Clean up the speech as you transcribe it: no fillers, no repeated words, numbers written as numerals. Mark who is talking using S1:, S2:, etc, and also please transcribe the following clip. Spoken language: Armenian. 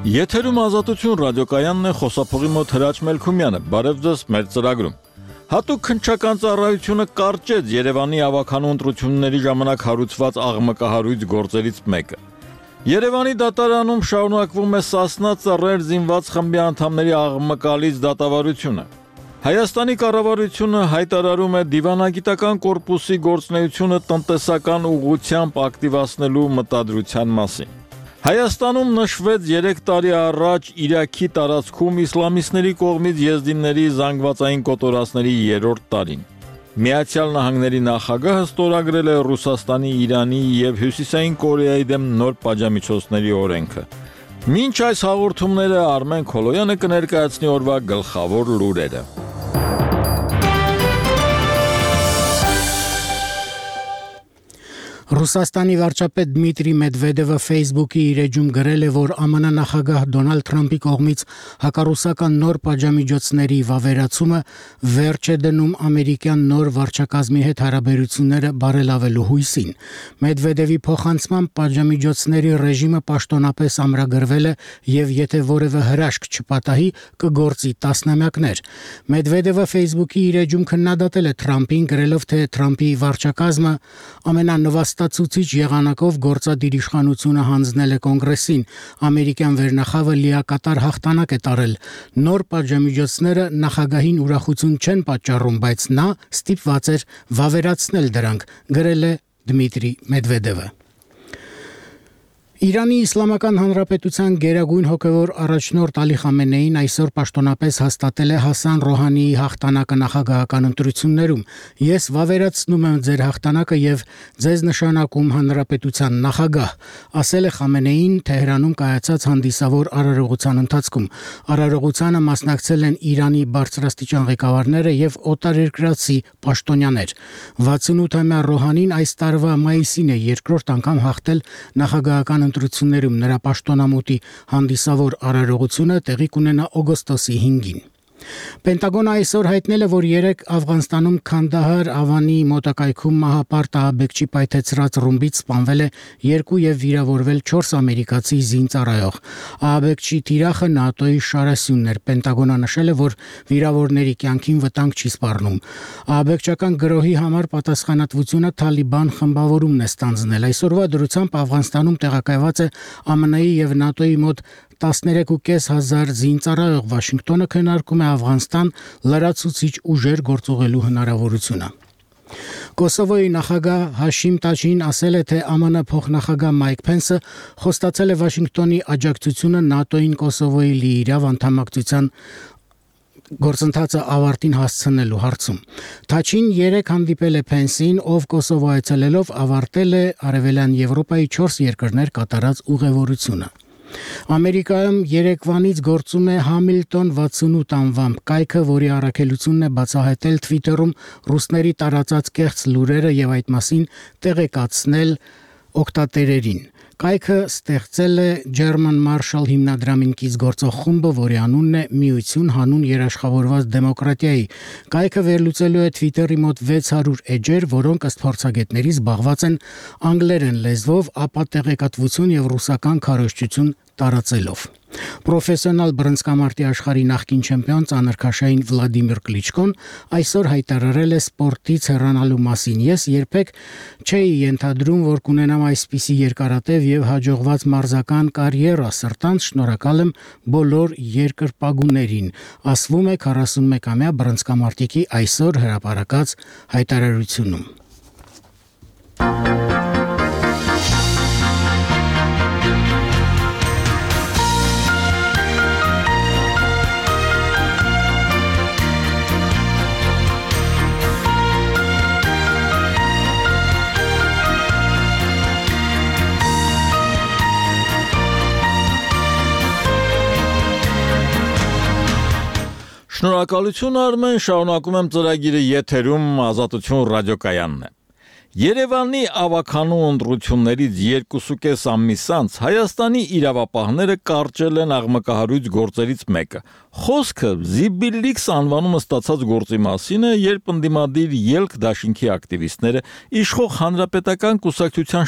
S1: Եթերում Ազատություն ռադիոկայանն է, խոսափողի մոտ Հրաչ Մելքումյանը, բարև ձեզ մեր ծրագրում։ Հատուկ քննչական ծառայությունը կարճեց Երևանի ավականու ընտրությունների ժամանակ հարուցված աղմկահարույց գործերից մեկը։ Երևանի դատարանում շարունակվում է Սասնա ծռեր զինված խմբի անդամների աղմկալից դատավարությունը։ Հայաստանի կառավարությունը հայտարարում է դիվանագիտական կորպուսի գործունեությունը տնտեսական ուղղությամբ ակտիվացնելու մտադրության մասին։ Հայաստանում նշվեց 3 տարի առաջ Իրաքի տարածքում իսլամիստների կողմից եզդիների զանգվածային կոտորածների 3-րդ տարին։ Միացյալ Նահանգների նախագահը ստորագրել է Ռուսաստանի, Իրանի և Հյուսիսային Կորեայի դեմ նոր պատժամիջոցների օրենքը։ Մինչ այս հաղորդումները Արմեն Քոլոյանը կներկայացնի օրվա գլխավոր լուրերը։
S2: Ռուսաստանի վարչապետ Դմիտրի Մեդվեդևը Facebook-ի իր էջում գրել է, որ ԱՄՆ նախագահ Դոնալդ Թրամփի կողմից հակառուսական նոր պատժամիջոցների վավերացումը վերջ է դնում ամերիկյան նոր վարչակազմի հետ հարաբերությունները բարելավելու հույսին։ Մեդվեդևի փոխանցմամբ պատժամիջոցների ռեժիմը պաշտոնապես ամրագրվել է եւ եթե որևէ հրաշք չպատահի, կգործի տասնամյակներ։ Մեդվեդևը Facebook-ի իր էջում քննադատել է Թրամփին, գրելով, թե Թրամփի վարչակազմը ամենանվաստացուցիչ եղանակով գործադիր իշխանությունը հանձնել է կոնգրեսին։ Ամերիկյան վերնախավը լիակատար հաղթանակ է տարել։ Նոր պատժամիջոցները նախագահին ուրախություն չեն պատճառում, բայց նա ստիպված էր վավերացնել դրանք, գրել է Դմիտրի Մեդվեդևը։ Իրանի Իսլամական Հանրապետության գերագույն հոգևոր առաջնորդ Ալի Խամենեին այսօր պաշտոնապես հաստատել է Հասան Ռոհանիի հաղթանակը նախագահական ընտրություններում։ Ես վավերացնում եմ ձեր հաղթանակը եւ ձեզ նշանակում հանրապետության նախագահ, ասել է Խամենեին Թեհրանում կայացած հանդիսավոր արարողության ընթացքում։ Արարողությանը մասնակցել են Իրանի բարձրաստիճան ղեկավարները եւ օտարերկրացի պաշտոնյաներ։ 68-ամյա Ռոհանին այս տարվա մայիսին է երկրորդ անգամ հաղթել նախագահական ընտրություններում, նրա պաշտոնամուտի հանդիսավոր արարողությունը տեղի կունենա օգոստոսի 5-ին։ Պենտագոնը այսօր հայտնել է, որ 3 Աֆղանստանում Քանդահար Ավանի մոտակայքում մահապարտ ահաբեկչի պայթեցրած ռումբից սպանվել է 2 եւ վիրավորվել 4 ամերիկացի զինծառայող։ Ահաբեկչի թիրախը ՆԱՏՕ-ի շարասյունն էր։ Պենտագոնը նշել է, որ վիրավորների կյանքին վտանգ չի սպառնում։ Ահաբեկչական գրոհի համար պատասխանատվությունը Թալիբան խմբավորումն է ստանձնել։ Այսօրվա դրությամբ Աֆղանստանում տեղակայված է ԱՄՆ-ի եւ ՆԱՏՕ-ի մոտ 13,500 զինծառայող։ Վաշինգտոնը քննարկում է Աֆղանստան լրացուցիչ ուժեր գործողելու հնարավորությունը։ Կոսովոյի նախագահ Հաշիմ Տաջին ասել է, թե ԱՄՆ փոխնախագահ Մայք Փենսը խոստացել է Վաշինգտոնի աջակցությունը ՆԱՏՕ-ին Կոսովոյի լիիրավ անդամակցության գործընթացը ավարտին հասցնելու հարցում։ Թաչին 3 հանդիպել է Փենսին, ով Կոսովո այցելելով ավարտել է Արևելյան Եվրոպայի 4 երկրներ կատարած ուղևորությունը։ Ամերիկայում երեկվանից գործում է Համիլտոն 68 անվամբ կայքը, որի առաքելությունն է բացահայտել Twitter-ում ռուսների տարածած կեղծ լուրերը եւ այդ մասին տեղեկացնել օգտատերերին։ Կայքը ստեղծել է German Marshall հիմնադրամին կից գործող խումբը, որի անունն է Միություն հանուն երաշխավորված դեմոկրատիայի։ Կայքը վերլուծելու է Twitter-ի մոտ 600 էջեր, որոնք ըստ փորձագետների զբաղված են անգլերեն լեզվով, ապա տեղեկատվություն եւ ռուսական քարոզչություն տարածելով։ Պրոֆեսիոնալ բռնցքամարտի աշխարհի նախկին չեմպիոն ծանրքաշային Վլադիմիր Կլիչկոն այսօր հայտարարել է սպորտից հեռանալու մասին։ Ես երբեք չէի ենթադրում, որ կունենամ այսպիսի երկարատև եւ հաջողված մարզական կարիերա, սրտանց շնորհակալ եմ բոլոր երկրպագուներին, ասվում է 41-ամյա բռնցքամարտիկի այսօր հրապարակած հայտարարությունում։
S1: Շնորհակալություն Արմեն, շարունակում եմ ծրագիրը եթերում Ազատություն ռադիոկայանն է։ Երևանի ավականու ընտրություններից 2.5 ամիս անց Հայաստանի իրավապահները կարճել են աղմկահարույց գործերից մեկը։ Խոսքը Զիբիլիքս անվանումը ստացած գործի մասին է, երբ ընդդիմադիր ելք դաշինքի ակտիվիստները իշխող հանրապետական կուսակցության